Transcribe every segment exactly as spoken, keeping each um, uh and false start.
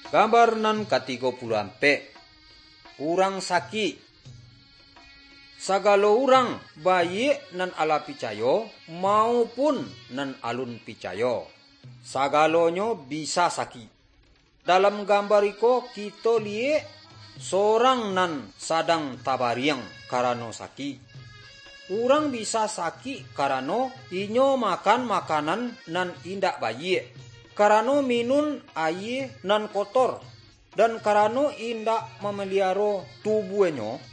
Gambar nan katigo puluah ampek. Urang sakik. Sagalo urang, baiak nan alah picayo maupun nan alun picayo, sagalonyo bisa sakik. Dalam gambar iko kito liyek sorang nan sadang tabariang karano sakik. Urang bisa sakik karano inyo makan makanan nan indak baiak, karano minun aia nan kotor, dan karano indak mamaliaro tubuahnyo.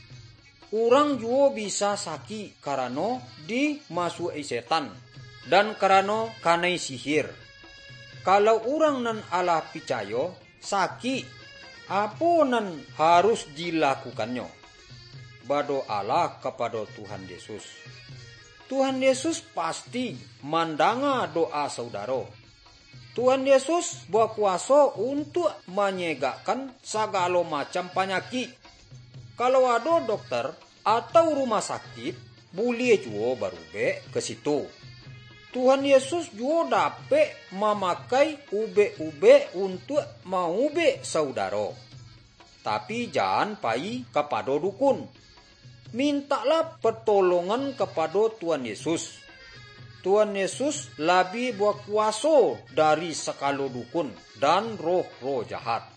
Urang juwo bisa sakik karano dimasuak-i setan, dan karano kanai sihir. Kalau urang nan alah picayo sakik, apo nan harus dilakukannyo? Badoalah kapado Tuhan Yesus. Tuhan Yesus pasti mandanga doa saudaro. Tuhan Yesus bakuwaso untuak manyegakkan sagalo macam panyakik. Kalau ado dokter atau rumah sakik, buliah juwo barubek ka situ. Tuhan Yesus juwo dapek mamakai ubek-ubek untuak maubek saudaro. Tapi jan pai kapado dukun. Mintaklah patolongan kapado Tuhan Yesus. Tuhan Yesus labiah bakuwaso dari sagalo dukun dan roh-roh jahat.